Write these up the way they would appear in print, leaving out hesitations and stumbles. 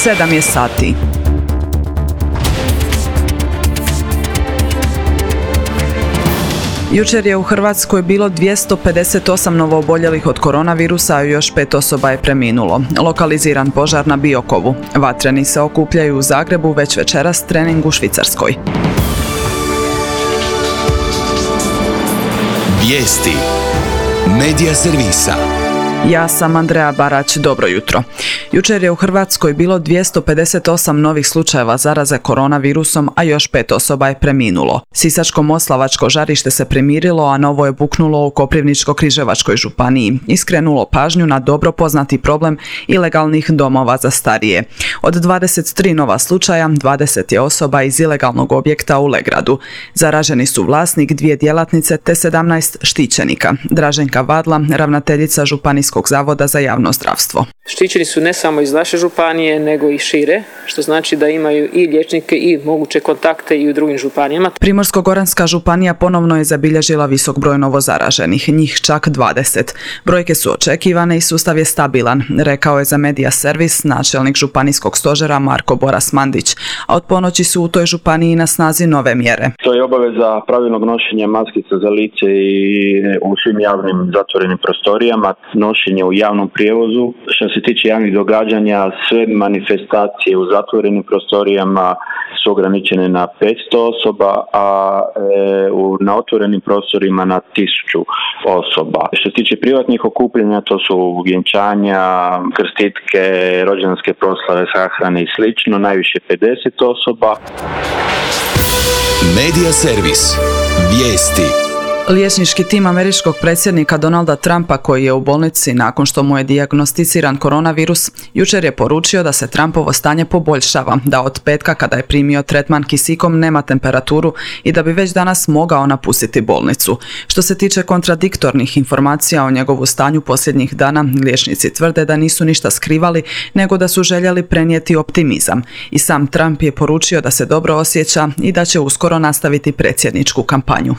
7 je sati. Jučer je u Hrvatskoj bilo 258 novooboljelih od koronavirusa, a još 5 osoba je preminulo. Lokaliziran požar na Biokovu. Vatreni se okupljaju u Zagrebu, već večeras trening u Švicarskoj. Vijesti Medija servisa. Ja sam Andreja Barać, dobro jutro. Jučer je u Hrvatskoj bilo 258 novih slučajeva zaraze koronavirusom, a još 5 osoba je preminulo. Sisačko-moslavačko žarište se primirilo, a novo je buknulo u Koprivničko-križevačkoj županiji i skrenulo pažnju na dobro poznati problem ilegalnih domova za starije. Od 23 nova slučaja, 20 je osoba iz ilegalnog objekta u Legradu. Zaraženi su vlasnik, 2 djelatnice te 17 štićenika. Draženka Vadla, ravnateljica Županijskog zavoda za javno zdravstvo. Štićeni su ne samo iz naše županije, nego i šire, što znači da imaju i liječnike i moguće kontakte i u drugim županijama. Primorsko-goranska županija ponovno je zabilježila visok broj novozaraženih, njih čak 20. Brojke su očekivane i sustav je stabilan, rekao je za Medija servis načelnik županijskog stožera Marko Boras Mandić, a od ponoći su u toj županiji na snazi nove mjere. To je obaveza pravilnog nošenja maskica za lice i u svim javnim zatvorenim prostorijama, nošenje u javnom prijevozu. Što se tiče javnih događanja, sve manifestacije u zatvorenim prostorijama su ograničene na 500 osoba, a na otvorenim prostorima na 1000 osoba. Što se tiče privatnih okupljanja, to su vjenčanja, krstitke, rođendanske proslave, sahrane i slično, najviše 50 osoba. Medija servis. Vijesti. Liječnički tim američkog predsjednika Donalda Trumpa, koji je u bolnici nakon što mu je dijagnosticiran koronavirus, jučer je poručio da se Trumpovo stanje poboljšava, da od petka kada je primio tretman kisikom nema temperaturu i da bi već danas mogao napustiti bolnicu. Što se tiče kontradiktornih informacija o njegovu stanju posljednjih dana, liječnici tvrde da nisu ništa skrivali, nego da su željeli prenijeti optimizam. I sam Trump je poručio da se dobro osjeća i da će uskoro nastaviti predsjedničku kampanju.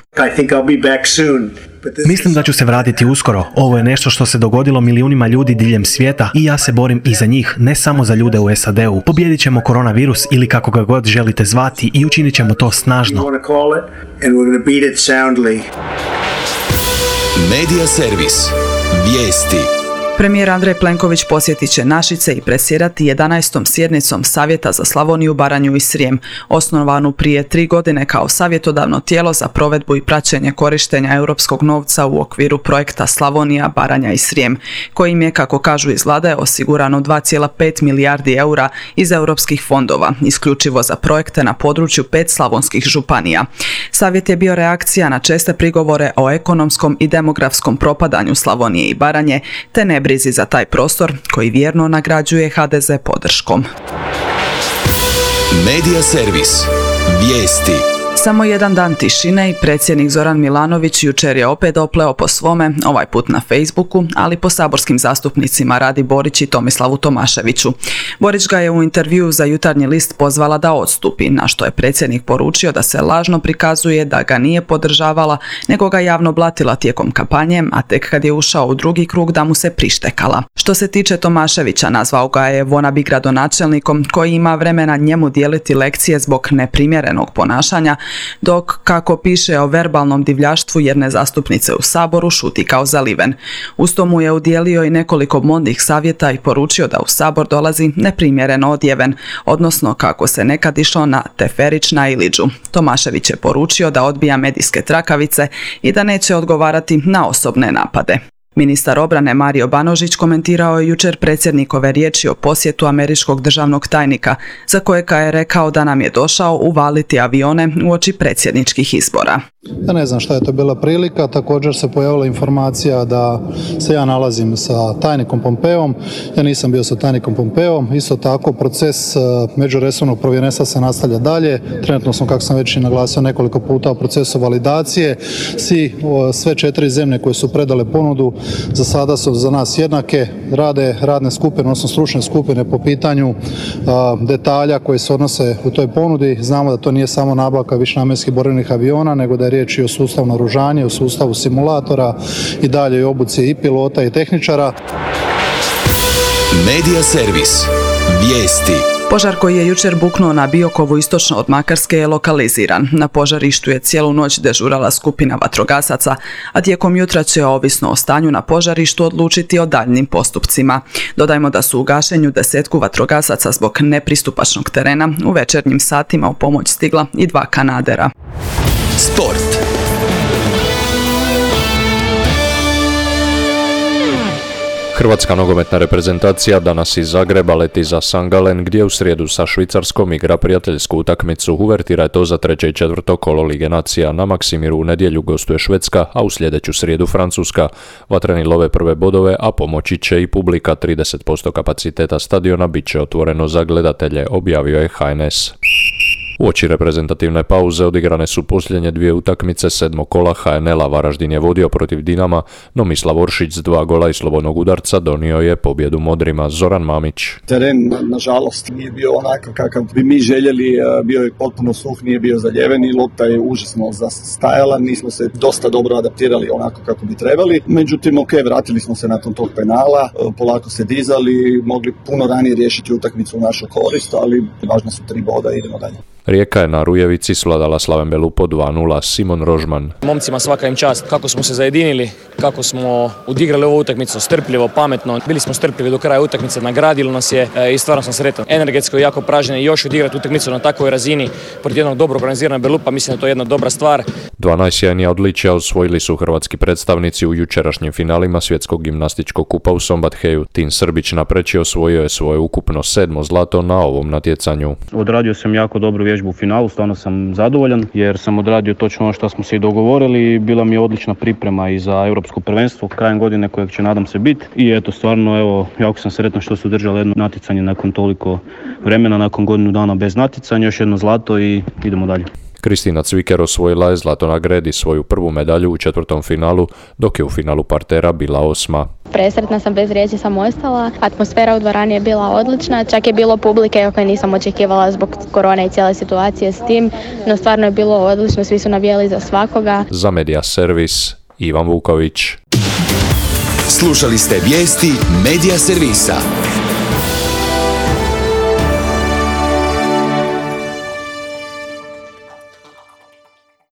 Mislim da ću se vratiti uskoro. Ovo je nešto što se dogodilo milijunima ljudi diljem svijeta i ja se borim i za njih, ne samo za ljude u SAD-u. Pobijedit ćemo koronavirus ili kako ga god želite zvati i učinit ćemo to snažno. Medija servis. Vijesti. Premijer Andrej Plenković posjetit će Našice i predsjedati 11. sjednicom Savjeta za Slavoniju, Baranju i Srijem, osnovanu prije 3 godine kao savjetodavno tijelo za provedbu i praćenje korištenja europskog novca u okviru projekta Slavonija, Baranja i Srijem, kojim je, kako kažu iz Vlade, osigurano 2,5 milijardi eura iz europskih fondova, isključivo za projekte na području 5 slavonskih županija. Savjet je bio reakcija na česte prigovore o ekonomskom i demografskom propadanju Slavonije i Baranje, te nebrizi za taj prostor koji vjerno nagrađuje HDZ podrškom. Medija servis. Vijesti. Samo jedan dan tišine i predsjednik Zoran Milanović jučer je opet opleo po svome, ovaj put na Facebooku, ali po saborskim zastupnicima Radi Borić i Tomislavu Tomaševiću. Borić ga je u intervjuu za Jutarnji list pozvala da odstupi, na što je predsjednik poručio da se lažno prikazuje da ga nije podržavala, nego ga javno blatila tijekom kampanje, a tek kad je ušao u drugi krug da mu se prištekala. Što se tiče Tomaševića, nazvao ga je wannabe gradonačelnikom koji ima vremena njemu dijeliti lekcije zbog neprimjerenog ponašanja, dok, kako piše o verbalnom divljaštvu jedne zastupnice u Saboru, šuti kao zaliven. Uz to mu je udijelio i nekoliko modnih savjeta i poručio da u Sabor dolazi neprimjereno odjeven, odnosno kako se nekad išlo na teferić na Iliđu. Tomašević je poručio da odbija medijske trakavice i da neće odgovarati na osobne napade. Ministar obrane Mario Banožić komentirao je jučer predsjednikove riječi o posjetu američkog državnog tajnika, za kojega je rekao da nam je došao uvaliti avione uoči predsjedničkih izbora. Ja ne znam šta je to bila prilika, također se pojavila informacija da se ja nalazim sa tajnikom Pompeom, ja nisam bio sa tajnikom Pompeom, isto tako proces međuresornog povjerenstva se nastavlja dalje, trenutno smo, kako sam već i naglasio nekoliko puta, u procesu validacije, sve 4 zemlje koje su predale ponudu za sada su za nas jednake, rade radne skupine, odnosno stručne skupine po pitanju detalja koji se odnose u toj ponudi, znamo da to nije samo nabavka višenamjenskih borbenih aviona, nego da je riječ i o sustavu naoružanja, o sustavu simulatora i dalje i obuci i pilota i tehničara. Medija servis. Vijesti. Požar koji je jučer buknuo na Biokovu istočno od Makarske je lokaliziran. Na požarištu je cijelu noć dežurala skupina vatrogasaca, a tijekom jutra će, ovisno o stanju na požarištu, odlučiti o daljnim postupcima. Dodajmo da su u gašenju 10 vatrogasaca zbog nepristupačnog terena u večernjim satima u pomoć stigla i 2 kanadera. Sport. Hrvatska nogometna reprezentacija danas iz Zagreba leti za St. Gallen, gdje u srijedu sa Švicarskom igra prijateljsku utakmicu. Uvertira je to za 3. i 4. kolo Lige nacija. Na Maksimiru u nedjelju gostuje Švedska, a u sljedeću srijedu Francuska. Vatreni love prve bodove, a pomoći će i publika. 30% kapaciteta stadiona bit će otvoreno za gledatelje, objavio je HNS. Uoči reprezentativne pauze odigrane su posljednje 2 utakmice 7. kola HNL-a. Varaždin je vodio protiv Dinama, no Mislav Oršić s 2 gola i slobodnog udarca donio je pobjedu modrima. Zoran Mamić. Teren, nažalost, nije bio onako kakav bi mi željeli, bio je potpuno suh, nije bio zaljeven i lopta je užasno zastajala, nismo se dosta dobro adaptirali onako kako bi trebali. Međutim, vratili smo se nakon tog penala, polako se dizali, mogli puno ranije riješiti utakmicu u našu korist, ali važno su 3 boda i idemo dalje. Rijeka je na Rujevici svladala Slaven Belupo 2-0. Simon Rožman. Momcima svaka im čast. Kako smo se zajedinili, kako smo odigrali ovu utakmicu strpljivo, pametno. Bili smo strpljivi do kraja utakmice, nagradilo nas je i stvarno sam sretan. Energetsko jako pražnje i još odigrati utakmicu na takvoj razini protiv jednog dobro organiziranog Belupa, mislim da je to jedna dobra stvar. 2 najsjajnija odličja osvojili su hrvatski predstavnici u jučerašnjim finalima svjetskog gimnastičkog kupa u Sombatheju. Tin Srbić napreči osvojio je svoje ukupno 7. zlato na ovom natjecanju. Odradio sam jako dobru vježbu u finalu, stvarno sam zadovoljan jer sam odradio točno ono što smo se i dogovorili i bila mi je odlična priprema i za europsko prvenstvo krajem godine kojeg će nadam se biti i eto stvarno jako sam sretan što su držali jedno natjecanje nakon toliko vremena, nakon godinu dana bez natjecanja, još jedno zlato i idemo dalje. Kristina Cviker osvojila je zlato na gredi, svoju prvu medalju u 4. finalu, dok je u finalu partera bila 8. Presretna sam, bez riječi sam ostala. Atmosfera u dvorani je bila odlična, čak je bilo publike koje nisam očekivala zbog korone i cijele situacije s tim, no stvarno je bilo odlično, svi su navijali za svakoga. Za Medija servis, Ivan Vuković. Slušali ste vijesti Medija servisa.